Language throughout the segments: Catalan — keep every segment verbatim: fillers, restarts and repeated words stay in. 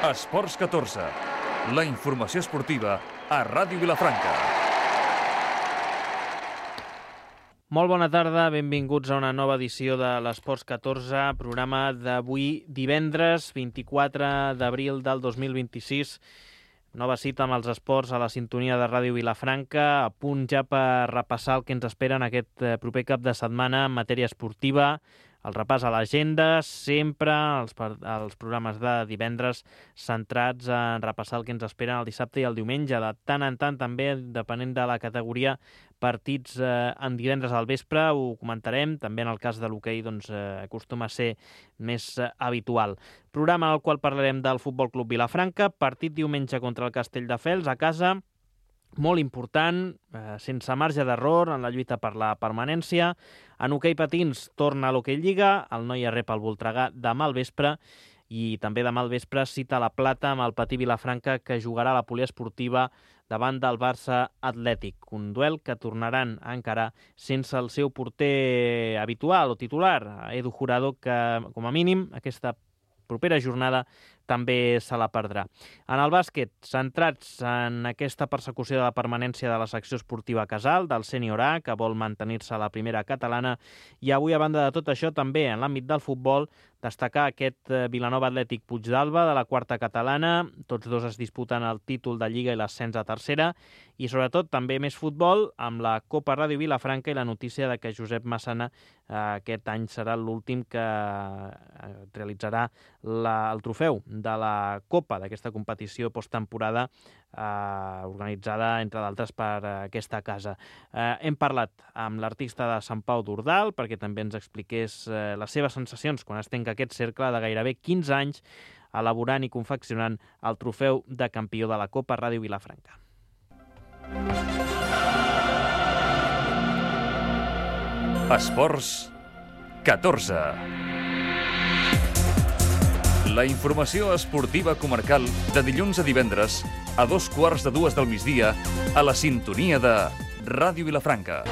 Esports catorze, la informació esportiva a Ràdio Vilafranca. Molt bona tarda, benvinguts a una nova edició de l'Esports catorze, programa d'avui divendres vint-i-quatre d'abril del dos mil vint-i-sis. Nova cita amb els esports a la sintonia de Ràdio Vilafranca, a punt ja per repassar el que ens espera en aquest proper cap de setmana en matèria esportiva. El repàs a l'agenda, sempre els, els programes de divendres centrats en repassar el que ens espera el dissabte i el diumenge. De tant en tant, també, depenent de la categoria, partits eh, en divendres al vespre, ho comentarem. També en el cas de l'hoquei doncs, eh, acostuma a ser més eh, habitual. Programa en el qual parlarem del Futbol Club Vilafranca, partit diumenge contra el Castelldefels a casa, molt important, eh, sense marge d'error en la lluita per la permanència. En hoquei patins torna a l'Hoquei Lliga, el Noia rep el Voltregà demà al vespre i també demà al vespre cita la Plata amb el Patí Vilafranca que jugarà a la poliesportiva davant del Barça Atlètic. Un duel que tornaran a encarar sense el seu porter habitual o titular, Edu Jurado, que com a mínim aquesta propera jornada també se la perdrà. En el bàsquet, centrats en aquesta persecució de la permanència de la secció esportiva Casal, del sènior A, que vol mantenir-se a la primera catalana, i avui, a banda de tot això, també en l'àmbit del futbol, destacar aquest Vilanova Atlètic Puigdàlber de la quarta catalana. Tots dos es disputen el títol de Lliga i l'ascens a tercera, i sobretot també més futbol amb la Copa Ràdio Vilafranca i la notícia de que Josep Massana eh, aquest any serà l'últim que eh, realitzarà la, el trofeu de la Copa d'aquesta competició posttemporada eh, organitzada, entre d'altres, per eh, aquesta casa. Eh, hem parlat amb l'artista de Sant Pau d'Ordal perquè també ens expliqués eh, les seves sensacions quan es tanca aquest cercle de gairebé quinze anys elaborant i confeccionant el trofeu de campió de la Copa Ràdio Vilafranca. Esports catorze. La informació esportiva comarcal de dilluns a divendres a dos quarts de dues del migdia a la sintonia de Ràdio Vilafranca.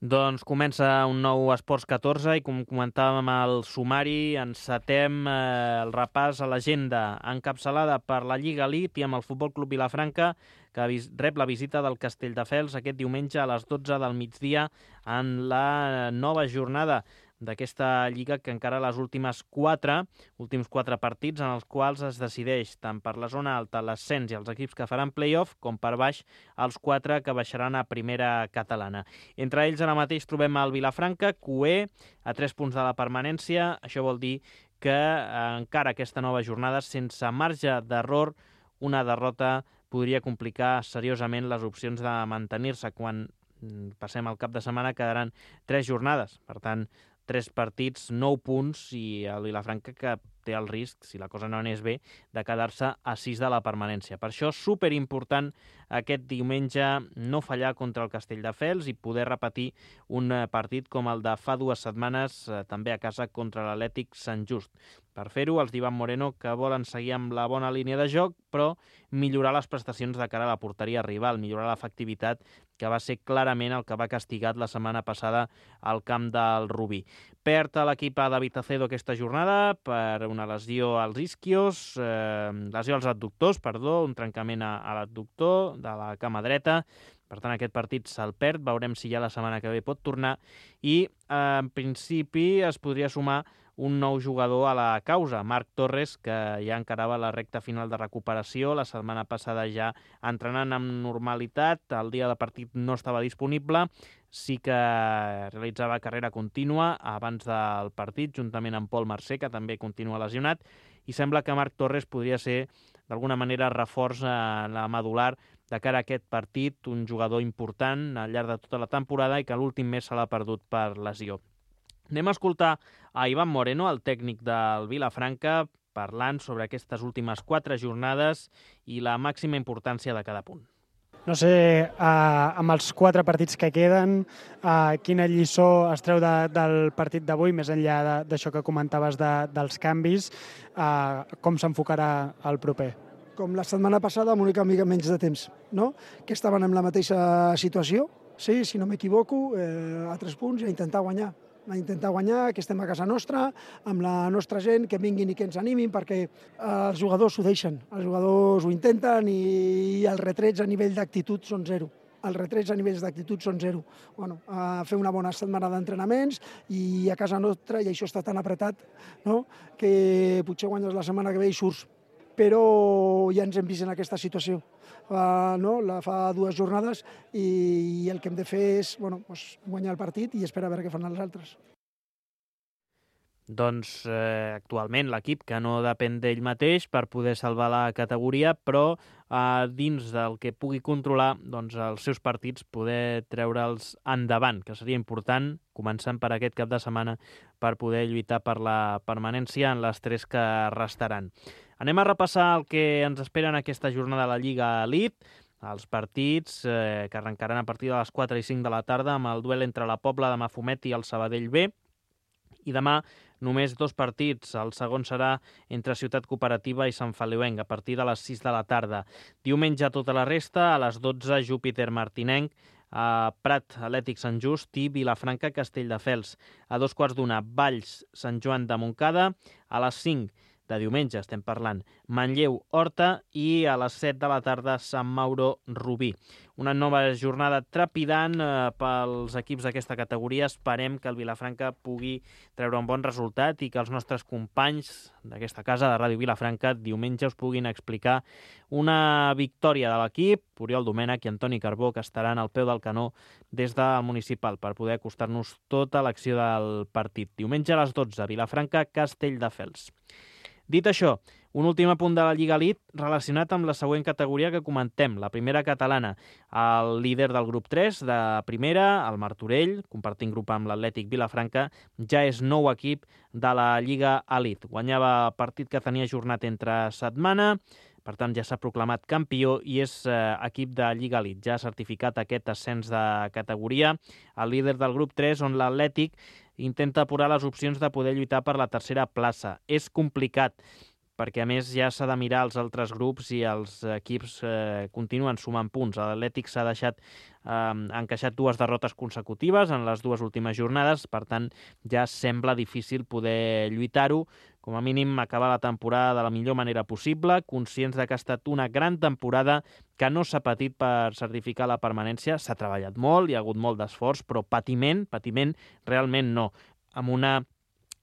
Doncs comença un nou Esports catorze i com comentàvem al sumari, encetem eh, el repàs a l'agenda encapçalada per la Lliga Elite i amb el Futbol Club Vilafranca, que rep la visita del Castelldefels aquest diumenge a les dotze del migdia en la nova jornada d'aquesta Lliga que encara les últimes quatre, últims quatre partits en els quals es decideix tant per la zona alta l'ascens i els equips que faran play-off com per baix els quatre que baixaran a primera catalana. Entre ells ara mateix trobem el Vilafranca, cuer, a tres punts de la permanència. Això vol dir que eh, encara aquesta nova jornada, sense marge d'error, una derrota podria complicar seriosament les opcions de mantenir-se. Quan passem al cap de setmana quedaran tres jornades, per tant, tres partits, nou punts, i el Vilafranca que té el risc, si la cosa no anés bé, de quedar-se a sis de la permanència. Per això, superimportant aquest diumenge no fallar contra el Castelldefels i poder repetir un partit com el de fa dues setmanes, eh, també a casa contra l'Atlètic Sant Just. Per fer-ho, els d'Ivan Moreno, que volen seguir amb la bona línia de joc, però millorar les prestacions de cara a la porteria rival, millorar l'efectivitat, que va ser clarament el que va castigat la setmana passada al camp del Rubí. Perd a l'equip a David Acedo aquesta jornada per una lesió als isquios, eh, lesió als adductors, perdó, un trencament a, a l'adductor de la cama dreta. Per tant, aquest partit se'l perd, veurem si ja la setmana que ve pot tornar, i eh, en principi es podria sumar un nou jugador a la causa, Marc Torres, que ja encarava la recta final de recuperació, la setmana passada ja entrenant amb normalitat, el dia de partit no estava disponible, sí que realitzava carrera contínua abans del partit, juntament amb Pol Mercè, que també continua lesionat, i sembla que Marc Torres podria ser, d'alguna manera, reforç a la medular de cara a aquest partit, un jugador important al llarg de tota la temporada i que l'últim mes se l'ha perdut per lesió. Anem a escoltar a Ivan Moreno, el tècnic del Vilafranca, parlant sobre aquestes últimes quatre jornades i la màxima importància de cada punt. No sé, eh, amb els quatre partits que queden, eh, quina lliçó es treu de, del partit d'avui, més enllà d'això que comentaves de, dels canvis, eh, com s'enfocarà el proper? Com la setmana passada, amb una mica menys de temps, no? Que estaven en la mateixa situació, sí, si no m'equivoco, eh, a tres punts i a intentar guanyar. A intentar guanyar, que estem a casa nostra, amb la nostra gent, que vinguin i que ens animin, perquè els jugadors ho deixen, els jugadors ho intenten i els retrets a nivell d'actitud són zero. Els retrets a nivells d'actitud són zero. Bueno, a fer una bona setmana d'entrenaments i a casa nostra, i això està tan apretat, no? Que potser guanyes la setmana que ve i surts. Però ja ens hem vist en aquesta situació. Uh, no? La fa dues jornades i, i el que hem de fer és bueno, pues, guanyar el partit i esperar a veure què fan els altres. Doncs eh, actualment l'equip que no depèn d'ell mateix per poder salvar la categoria, però eh, dins del que pugui controlar doncs, els seus partits poder treure'ls endavant, que seria important, començant per aquest cap de setmana, per poder lluitar per la permanència en les tres que restaran. Anem a repassar el que ens espera en aquesta jornada de la Lliga Elite, els partits eh, que arrencaran a partir de les quatre i cinc de la tarda amb el duel entre la Pobla de Mafumet i el Sabadell B, i demà només dos partits. El segon serà entre Ciutat Cooperativa i Sant Feliuenc, a partir de les sis de la tarda. Diumenge tota la resta, a les dotze, Júpiter Martinenc, a Prat Atlètic Sant Just i Vilafranca Castelldefels. A dos quarts d'una, Valls Sant Joan de Montcada. A les cinc de diumenge estem parlant Manlleu Horta i a les set de la tarda Sant Mauro Rubí. Una nova jornada trepidant eh, pels equips d'aquesta categoria. Esperem que el Vilafranca pugui treure un bon resultat i que els nostres companys d'aquesta casa de Ràdio Vilafranca diumenge us puguin explicar una victòria de l'equip, Oriol Domènech i Antoni Carbó, que estaran al peu del canó des del municipal per poder acostar-nos tota l'acció del partit. Diumenge a les dotze, Vilafranca Castelldefels. Dit això, un últim apunt de la Lliga Elite relacionat amb la següent categoria que comentem, la primera catalana. El líder del grup tres de primera, el Martorell, compartint grup amb l'Atlètic Vilafranca, ja és nou equip de la Lliga Elite. Guanyava el partit que tenia jornat entre setmana, per tant ja s'ha proclamat campió i és eh, equip de Lliga Elite. Ja ha certificat aquest ascens de categoria. El líder del grup tres, on l'Atlètic intenta apurar les opcions de poder lluitar per la tercera plaça. És complicat, perquè a més ja s'ha de mirar els altres grups i els equips eh, continuen sumant punts. L'Atlètic s'ha deixat eh, encaixat dues derrotes consecutives en les dues últimes jornades, per tant ja sembla difícil poder lluitar-ho. Com a mínim acabar la temporada de la millor manera possible, conscients de que ha estat una gran temporada que no s'ha patit per certificar la permanència. S'ha treballat molt, hi ha hagut molt d'esforç, però patiment, patiment realment no. Amb una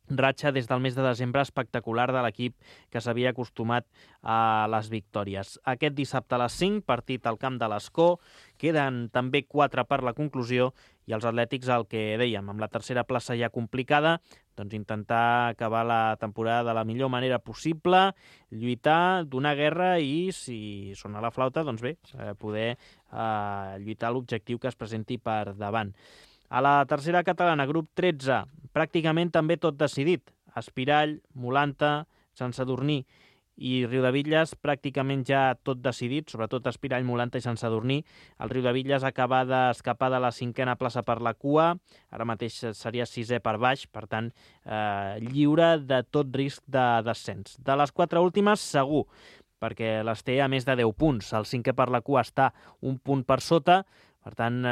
ratxa des del mes de desembre espectacular de l'equip que s'havia acostumat a les victòries. Aquest dissabte a les cinc, partit al camp de l'Escó, queden també quatre per la conclusió i els atlètics, el que dèiem, amb la tercera plaça ja complicada, doncs intentar acabar la temporada de la millor manera possible, lluitar, donar guerra i, si sona la flauta, doncs bé, poder eh, lluitar l'objectiu que es presenti per davant. A la tercera catalana, grup tretze, pràcticament també tot decidit. Espirall, Molanta, Sant Sadurní i Riudebitlles, pràcticament ja tot decidit, sobretot Espirall, Molanta i Sant Sadurní. El Riudebitlles acaba d'escapar de la cinquena plaça per la cua, ara mateix seria sisè per baix, per tant, eh, lliure de tot risc de descens. De les quatre últimes, segur, perquè les té a més de deu punts. El cinquè per la cua està un punt per sota, per tant, eh,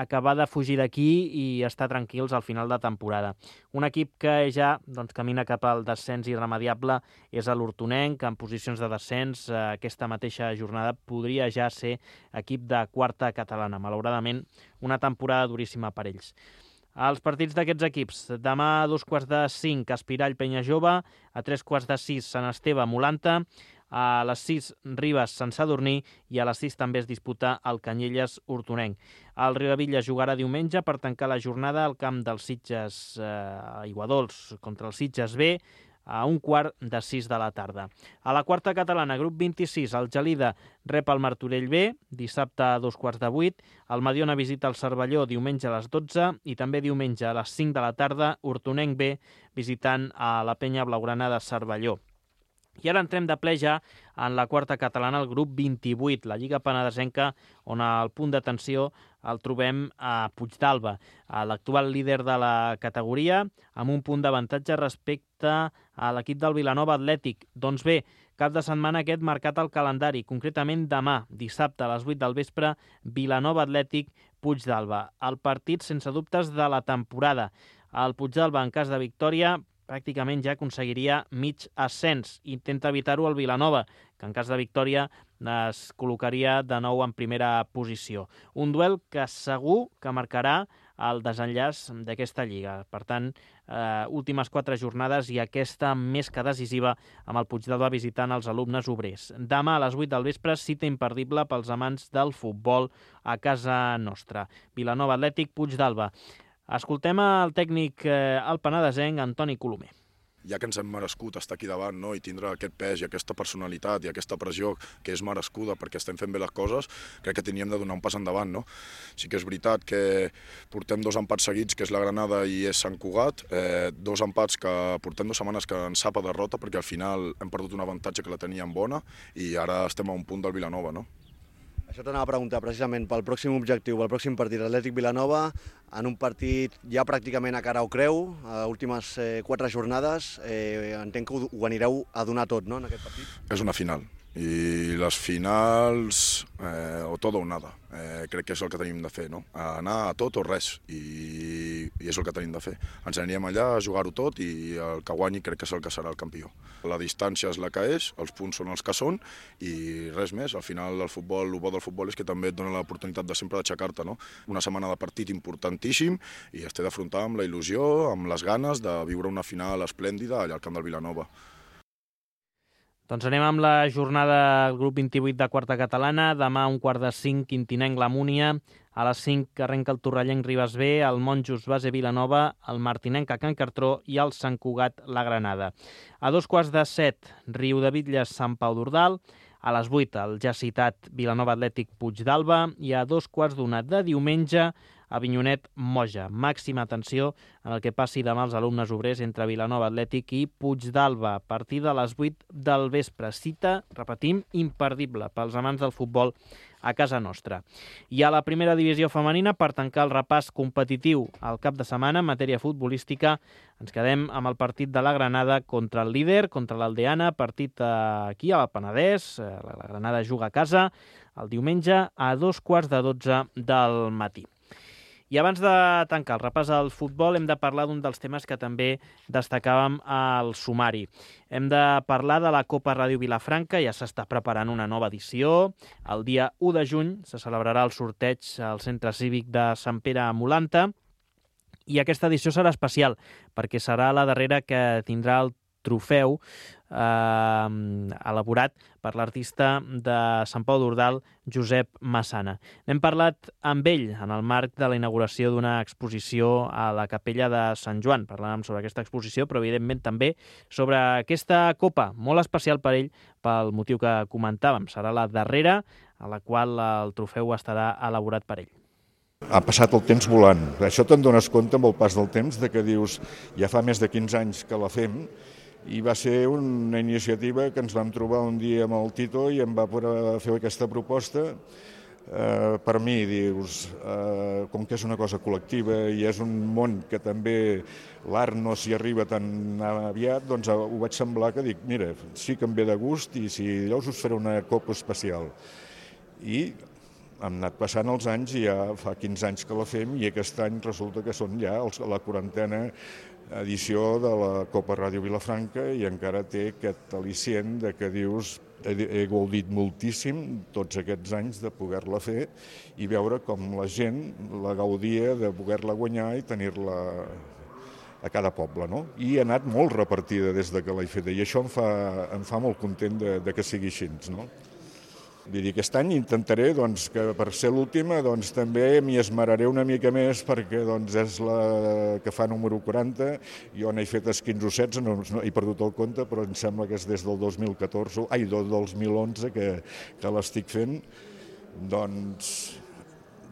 acabar de fugir d'aquí i estar tranquils al final de temporada. Un equip que ja doncs, camina cap al descens irremediable és l'Hortonenc, en posicions de descens. Eh, aquesta mateixa jornada podria ja ser equip de quarta catalana. Malauradament, una temporada duríssima per ells. Els partits d'aquests equips. Demà a dos quarts de cinc, Espirall Penya Jove, a tres quarts de sis, Sant Esteve Molanta, a les sis, Ribes Sant Sadurní i a les sis també es disputa el Canyelles Hortonenc. El Riudebitlles jugarà diumenge per tancar la jornada al camp dels Sitges eh, Aiguadols contra el Sitges B a un quart de sis de la tarda. A la quarta catalana, grup vint-i-sis, el Gelida rep el Martorell B, dissabte a dos quarts de vuit, el Mediona visita el Cervelló diumenge a les dotze i també diumenge a les cinc de la tarda, Hortonenc B visitant a la Penya Blaugrana de Cervelló. I ara entrem de ple ja en la quarta catalana, el grup vint-i-vuit, la Lliga Penedesenca, on el punt d'atenció el trobem a Puigdàlber, l'actual líder de la categoria, amb un punt d'avantatge respecte a l'equip del Vilanova Atlètic. Doncs bé, cap de setmana aquest marcat al calendari, concretament demà, dissabte a les vuit del vespre, Vilanova Atlètic, Puigdàlber. El partit sense dubtes de la temporada. El Puigdàlber, en cas de victòria, pràcticament ja aconseguiria mig ascens. Intenta evitar-ho el Vilanova, que en cas de victòria es col·locaria de nou en primera posició. Un duel que segur que marcarà el desenllaç d'aquesta lliga. Per tant, eh, últimes quatre jornades i aquesta més que decisiva amb el Puigdàlber visitant els alumnes obrers. Demà a les vuit del vespre, cita imperdible pels amants del futbol a casa nostra. Vilanova Atlètic, Puigdàlber. Escoltem el tècnic eh, el penedesenc, Antoni Colomer. Ja que ens hem merescut estar aquí davant, no? I tindre aquest pes i aquesta personalitat i aquesta pressió que és merescuda perquè estem fent bé les coses, crec que teníem de donar un pas endavant, no? Sí que és veritat que portem dos empats seguits, que és la Granada i és Sant Cugat, eh, dos empats que portem dues setmanes que ens sap a derrota perquè al final hem perdut un avantatge que la teníem bona i ara estem a un punt del Vilanova, no? Això t'anava a preguntar precisament pel pròxim objectiu, pel pròxim partit Atlètic-Vilanova, en un partit ja pràcticament a cara o creu, a últimes eh, quatre jornades, eh, entenc que ho, ho anireu a donar tot, no?, en aquest partit? És una final. I les finals, eh, o tot o nada, eh, crec que és el que tenim de fer, no? Anar a tot o res, i, i és el que tenim de fer. Ens anirem allà a jugar-ho tot i el que guanyi crec que és el que serà el campió. La distància és la que és, els punts són els que són i res més. Al final el futbol, el bo del futbol és que també et dona l'oportunitat de sempre d'aixecar-te, no? Una setmana de partit importantíssim i es té d'afrontar amb la il·lusió, amb les ganes de viure una final esplèndida allà al camp del Vilanova. Doncs anem amb la jornada del grup vint-i-vuit de quarta catalana. Demà a un quart de cinc, Quintinenc la Múnia. A les cinc arrenca el Torrellenc Ribes B, el Monjos Base Vilanova, el Martinenc a Can Cartró i el Sant Cugat la Granada. A dos quarts de set, Riudebitlles Sant Pau d'Ordal. A les vuit, el ja citat Vilanova Atlètic Puigdàlber. I a dos quarts d'una de diumenge, Avinyonet Moja. Màxima atenció en el que passi demà als alumnes obrers entre Vilanova Atlètic i Puigdàlber. Partida a les vuit del vespre. Cita, repetim, imperdible pels amants del futbol a casa nostra. I a la primera divisió femenina, per tancar el repàs competitiu al cap de setmana en matèria futbolística, ens quedem amb el partit de la Granada contra el líder, contra l'Aldeana, partit aquí al Penedès. La Granada juga a casa el diumenge a dos quarts de dotze del matí. I abans de tancar el repàs al futbol hem de parlar d'un dels temes que també destacàvem al sumari. Hem de parlar de la Copa Ràdio Vilafranca, ja s'està preparant una nova edició. El dia u de juny se celebrarà el sorteig al Centre Cívic de Sant Pere a Molanta i aquesta edició serà especial perquè serà la darrera que tindrà el trofeu eh, elaborat per l'artista de Sant Pau d'Ordal, Josep Massana. N'hem parlat amb ell en el marc de la inauguració d'una exposició a la Capella de Sant Joan. Parlàvem sobre aquesta exposició, però evidentment també sobre aquesta copa, molt especial per ell, pel motiu que comentàvem. Serà la darrera a la qual el trofeu estarà elaborat per ell. Ha passat el temps volant. Això te'n dones compte amb el pas del temps, de que dius, ja fa més de quinze anys que la fem, i va ser una iniciativa que ens vam trobar un dia amb el Tito i em va poder fer aquesta proposta. Eh, per mi, dius, eh, com que és una cosa col·lectiva i és un món que també l'art no s'hi arriba tan aviat, doncs ho vaig semblar que dic, mira, sí que em ve de gust i si llavors us faré una copa especial. I hem anat passant els anys i ja fa quinze anys que la fem i aquest any resulta que són ja la quarantena edició de la Copa Ràdio Vilafranca i encara té aquest al·licient de que dius he, he gaudit moltíssim tots aquests anys de poder-la fer i veure com la gent la gaudia de poder-la guanyar i tenir-la a cada poble, no? I ha anat molt repartida des de que l'he feta i això em fa, em fa molt content de, de que sigui així, no? Vull dir, aquest any intentaré doncs, que per ser l'última doncs, també m'hi esmeraré una mica més perquè doncs, és la que fa número quaranta. Jo n'he fet quinze o setze, no, no he perdut el compte, però em sembla que és des del dos mil catorze, ai, del dos mil onze que, que l'estic fent. Doncs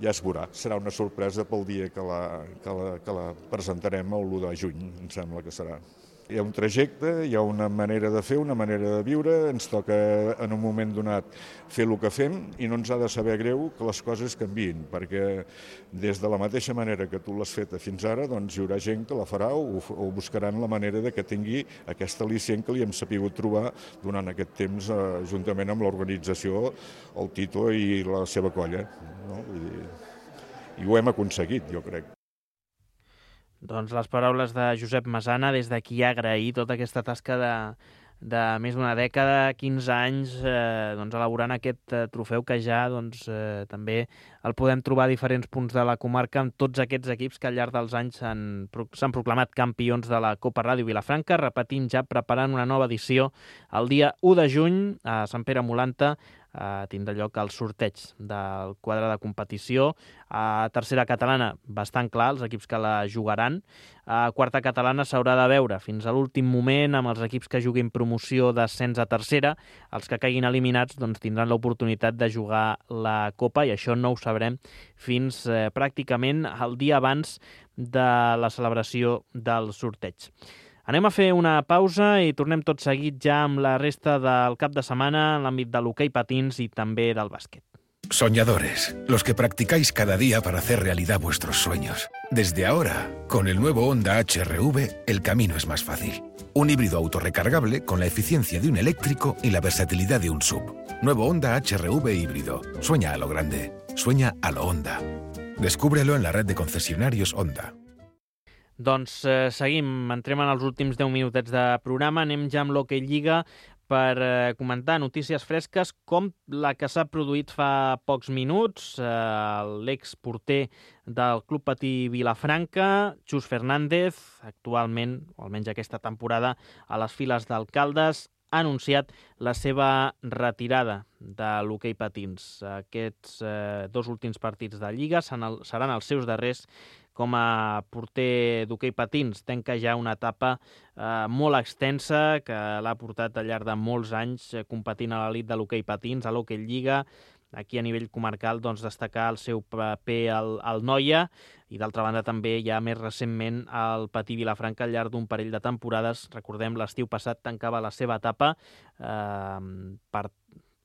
ja es veurà. Serà una sorpresa pel dia que la, que la, que la presentarem el l'u de juny, em sembla que serà. Hi ha un trajecte, hi ha una manera de fer, una manera de viure, ens toca en un moment donat fer el que fem i no ens ha de saber greu que les coses canviïn, perquè des de la mateixa manera que tu l'has feta fins ara, doncs hi haurà gent que la farà o, o buscaran la manera de que tingui aquest al·licient que li hem sapigut trobar durant aquest temps eh, juntament amb l'organització, el Tito i la seva colla. No? Vull dir, i ho hem aconseguit, jo crec. Doncs les paraules de Josep Masana, des d'aquí agrair tota aquesta tasca de, de més d'una dècada, quinze anys, eh, doncs elaborant aquest eh, trofeu que ja doncs, eh, també el podem trobar a diferents punts de la comarca amb tots aquests equips que al llarg dels anys s'han proclamat campions de la Copa Ràdio Vilafranca. Repetim, ja preparant una nova edició el dia u de juny a Sant Pere Molanta. Uh, tindrà lloc el sorteig del quadre de competició. A tercera catalana, bastant clar, els equips que la jugaran. A quarta catalana s'haurà de veure fins a l'últim moment amb els equips que juguin promoció d'ascens a tercera. Els que caiguin eliminats doncs, tindran l'oportunitat de jugar la Copa i això no ho sabrem fins eh, pràcticament el dia abans de la celebració del sorteig. Anem a fer una pausa i tornem tot seguit ja amb la resta del cap de setmana en l'àmbit de l'hoquei patins i també del bàsquet. Soñadores, los que practicáis cada día para hacer realidad vuestros sueños. Desde ahora, con el nuevo Honda H R V, el camino es más fácil. Un híbrido autorrecargable con la eficiencia de un eléctrico y la versatilidad de un S U V. Nuevo Honda H R V híbrido. Sueña a lo grande. Sueña a lo Honda. Descúbrelo en la red de concesionarios Honda. Doncs eh, seguim, entrem en els últims deu minutets de programa, anem ja amb l'Hoquei Lliga per eh, comentar notícies fresques com la que s'ha produït fa pocs minuts. Eh, l'exporter del Club Patí Vilafranca, Xus Fernández, actualment, o almenys aquesta temporada, a les files d'Alcaldes, ha anunciat la seva retirada de l'hoquei patins. Aquests eh, dos últims partits de Lliga seran els seus darrers com a porter d'hoquei patins. Tanca ja una etapa eh, molt extensa que l'ha portat al llarg de molts anys eh, competint a l'elit de l'hoquei patins, a l'Hoquei Lliga. Aquí a nivell comarcal doncs, destacar el seu paper al, al Noia i d'altra banda també ja més recentment el Patí Vilafranca al llarg d'un parell de temporades. Recordem, l'estiu passat tancava la seva etapa eh, per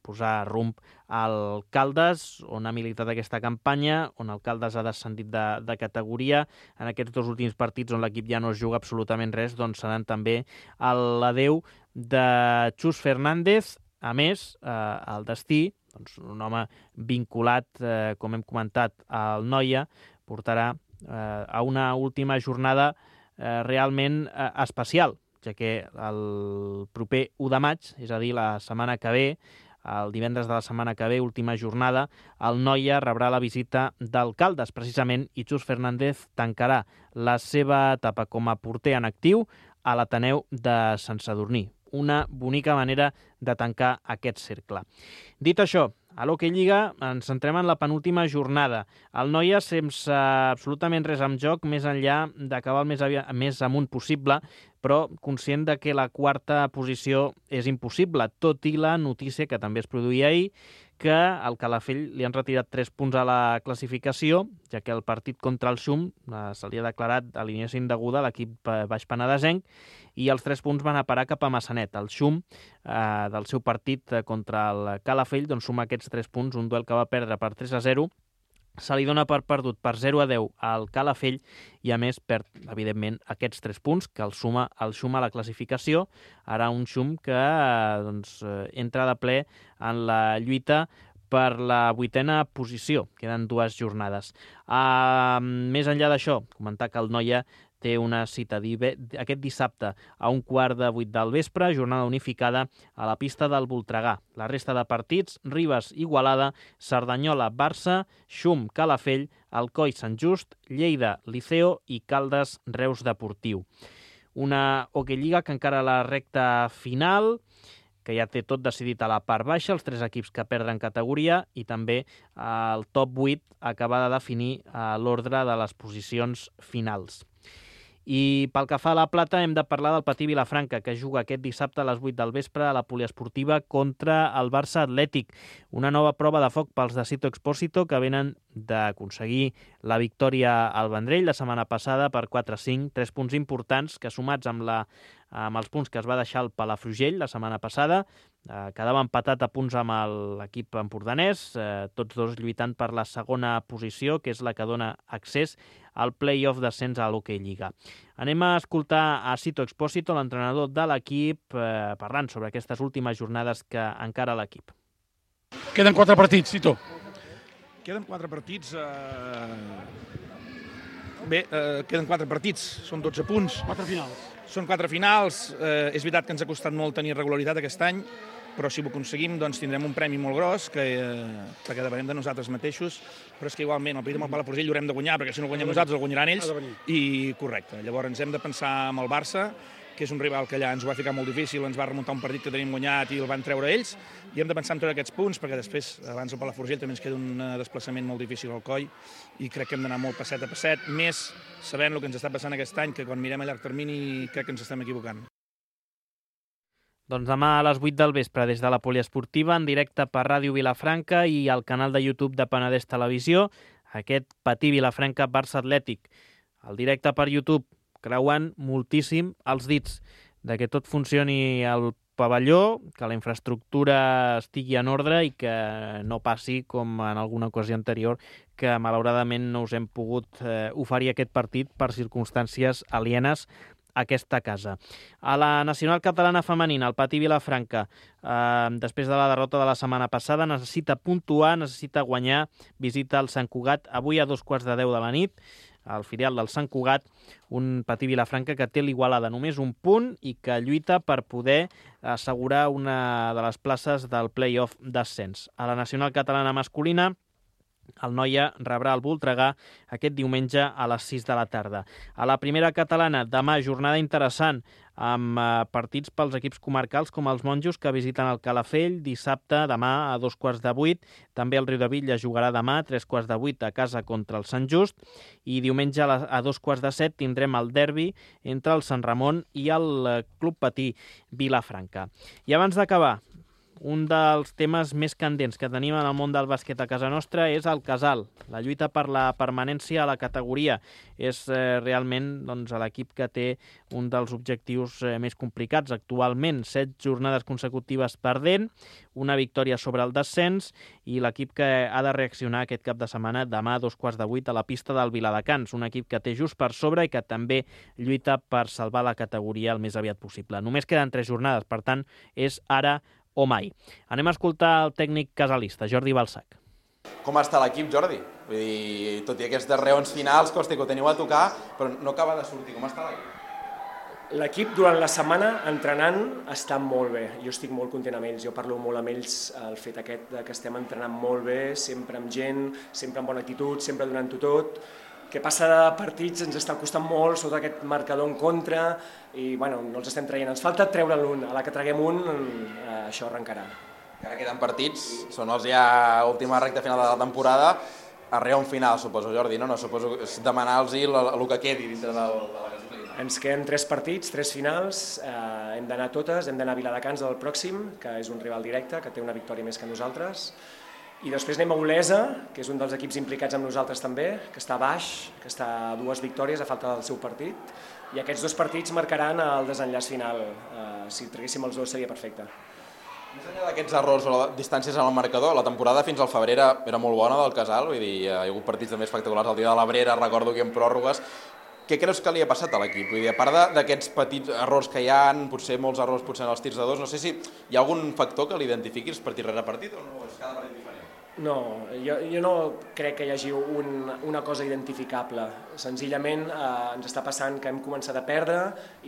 posar rumb al Caldes, on ha militat aquesta campanya, on el Caldes ha descendit de, de categoria. En aquests dos últims partits on l'equip ja no es juga absolutament res, doncs seran també l'adeu de Xus Fernández. A més, eh, el destí, doncs, un home vinculat, eh, com hem comentat, al Noia, portarà eh, a una última jornada eh, realment eh, especial, ja que el proper u de maig, és a dir, la setmana que ve, el divendres de la setmana que ve, última jornada, el Noia rebrà la visita d'Alcaldes, precisament, i Xus Fernández tancarà la seva etapa com a porter en actiu a l'Ateneu de Sant Sadurní. Una bonica manera de tancar aquest cercle. Dit això, a l'Hoquei Lliga ens centrem en la penúltima jornada. El Noia, sense absolutament res en joc, més enllà d'acabar el més, més amunt possible, però conscient de que la quarta posició és impossible, tot i la notícia que també es produïa ahir, que al Calafell li han retirat tres punts a la classificació, ja que el partit contra el Xum eh, se li ha declarat alineació indeguda a l'equip baix penedesenc, i els tres punts van a parar cap a Massanet. El Xum, eh, del seu partit contra el Calafell, doncs suma aquests tres punts, un duel que va perdre per tres a zero, se li dona per perdut per zero a deu al Calafell i a més perd, evidentment, aquests tres punts que el suma el Xum a la classificació. Ara un Xum que doncs, entra de ple en la lluita per la vuitena posició. Queden dues jornades. Uh, més enllà d'això, comentar que el Noia té una cita aquest dissabte a un quart de vuit del vespre, jornada unificada a la pista del Voltregà. La resta de partits, Ribes, Igualada, Cerdanyola, Barça, Xum, Calafell, Alcoi, Sant Just, Lleida, Liceo i Caldes, Reus Deportiu. Una Hoquei Lliga que encara a la recta final, que ja té tot decidit a la part baixa, els tres equips que perden categoria i també el top vuit acaba de definir l'ordre de les posicions finals. I pel que fa a la plata hem de parlar del Patí Vilafranca, que juga aquest dissabte a les vuit del vespre a la poliesportiva contra el Barça Atlètic. Una nova prova de foc pels de Sito Expósito, que venen d'aconseguir la victòria al Vendrell la setmana passada per quatre a cinc, tres punts importants que sumats amb, la, amb els punts que es va deixar el Palafrugell la setmana passada, eh, quedava empatat a punts amb l'equip empordanès, eh, tots dos lluitant per la segona posició, que és la que dona accés al play-off d'ascens a l'Hockey Lliga. Anem a escoltar a Sito Expósito, l'entrenador de l'equip, eh, parlant sobre aquestes últimes jornades que encara l'equip. Queden quatre partits, Sito. Queden quatre partits. Eh... Bé, eh, queden quatre partits, són dotze punts. Quatre finals. Són quatre finals. Eh, és veritat que ens ha costat molt tenir regularitat aquest any, però si ho aconseguim doncs tindrem un premi molt gros que, eh, perquè depenem de nosaltres mateixos, però és que igualment el partit amb el Palafrugell l'haurem de guanyar, perquè si no el guanyem nosaltres el guanyaran ells, i correcte. Llavors ens hem de pensar amb el Barça, que és un rival que allà ens ho va ficar molt difícil, ens va remuntar un partit que tenim guanyat i el van treure ells, i hem de pensar en treure aquests punts, perquè després, abans el Palafrugell també ens queda un desplaçament molt difícil al coll, i crec que hem d'anar molt passet a passet, més sabent el que ens està passant aquest any, que quan mirem a llarg termini crec que ens estem equivocant. Doncs demà a les vuit del vespre, des de la poliesportiva, en directe per Ràdio Vilafranca i al canal de YouTube de Penedès Televisió, aquest Patí Vilafranca Barça Atlètic. El directe per YouTube, creuant moltíssim els dits de que tot funcioni al pavelló, que la infraestructura estigui en ordre i que no passi com en alguna ocasió anterior, que malauradament no us hem pogut eh, oferir aquest partit per circumstàncies alienes a aquesta casa. A la Nacional Catalana Femenina, el Patí Vilafranca, eh, després de la derrota de la setmana passada, necessita puntuar, necessita guanyar, visita el Sant Cugat avui a dos quarts de deu de la nit, al filial del Sant Cugat, un Patí Vilafranca que té l'Igualada només un punt i que lluita per poder assegurar una de les places del play-off d'ascens. A la Nacional Catalana Masculina, el Noia rebrà el Voltregà aquest diumenge a les sis de la tarda. A la primera catalana, demà, jornada interessant, amb eh, partits pels equips comarcals com els monjos que visiten el Calafell dissabte, demà a dos quarts de vuit. També el Riudebitlles jugarà demà a tres quarts de vuit a casa contra el Sant Just. I diumenge a, la, a dos quarts de set tindrem el derbi entre el Sant Ramon i el eh, Club Patí Vilafranca. I abans d'acabar, un dels temes més candents que tenim en el món del bàsquet a casa nostra és el Casal. La lluita per la permanència a la categoria és eh, realment doncs, l'equip que té un dels objectius eh, més complicats actualment. Set jornades consecutives perdent, una victòria sobre el descens i l'equip que ha de reaccionar aquest cap de setmana demà a dos quarts de vuit a la pista del Viladecans. Un equip que té just per sobre i que també lluita per salvar la categoria el més aviat possible. Només queden tres jornades, per tant, és ara o mai. Anem a escoltar el tècnic casalista, Jordi Balsac. Com està l'equip, Jordi? Vull dir, tot i aquestes reons finals, costa que ho teniu a tocar, però no acaba de sortir. Com està l'equip? L'equip durant la setmana entrenant està molt bé. Jo estic molt content amb ells. Jo parlo molt amb ells el fet aquest que estem entrenant molt bé, sempre amb gent, sempre amb bona actitud, sempre donant-ho tot. Que passa de partits ens està costant molt sota aquest marcador en contra i bueno, no els estem traient. Ens falta treure'n un. A la que traguem un, eh, això arrencarà. Ara queden partits, són els ja última recta final de la temporada. Arriba un final, suposo, Jordi, no? No suposo demanar-los el, el que quedi dintre de la gasolina. Ens queden tres partits, tres finals, eh, hem d'anar totes, hem d'anar a Viladecans del pròxim, que és un rival directe, que té una victòria més que nosaltres. I després anem a Olesa, que és un dels equips implicats amb nosaltres també, que està baix, que està a dues victòries a falta del seu partit, i aquests dos partits marcaran el desenllaç final. Eh, si traguéssim els dos seria perfecte. Més enllà d'aquests errors o distàncies en el marcador, la temporada fins al febrer era, era molt bona del Casal, vull dir, hi ha hagut partits també espectaculars el dia de l'Abrera, recordo que en pròrrogues. Què creus que li ha passat a l'equip? Vull dir, a part d'aquests petits errors que hi ha, potser molts errors potser en els tirs de dos, no sé si hi ha algun factor que l'identifiquis partit rere partit o no? És cada partit diferent? No, jo, jo no crec que hi hagi un, una cosa identificable. Senzillament eh, ens està passant que hem començat a perdre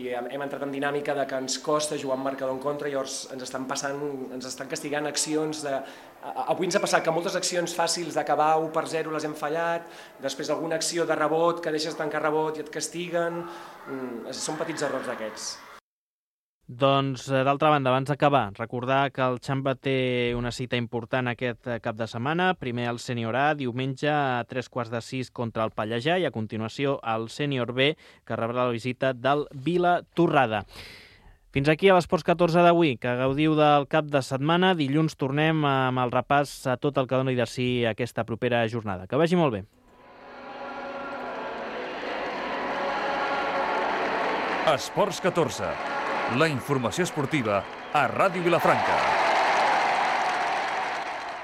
i hem, hem entrat en dinàmica de que ens costa jugar amb marcador en contra i llavors ens estan, passant, ens estan castigant accions de... Avui ens ha passat que moltes accions fàcils d'acabar u per zero les hem fallat, després alguna acció de rebot que deixes tancar rebot i et castiguen, mm, són petits errors d'aquests. Doncs, d'altra banda, abans d'acabar, recordar que el Xamba té una cita important aquest cap de setmana. Primer el sènior A, diumenge a tres quarts de sis contra el Pallejà, i a continuació el sènior B, que rebrà la visita del Vila Torrada. Fins aquí a l'Esports catorze d'avui, que gaudiu del cap de setmana. Dilluns tornem amb el repàs a tot el que doni de si aquesta propera jornada. Que vagi molt bé. Esports catorze. La informació esportiva a Ràdio Vilafranca.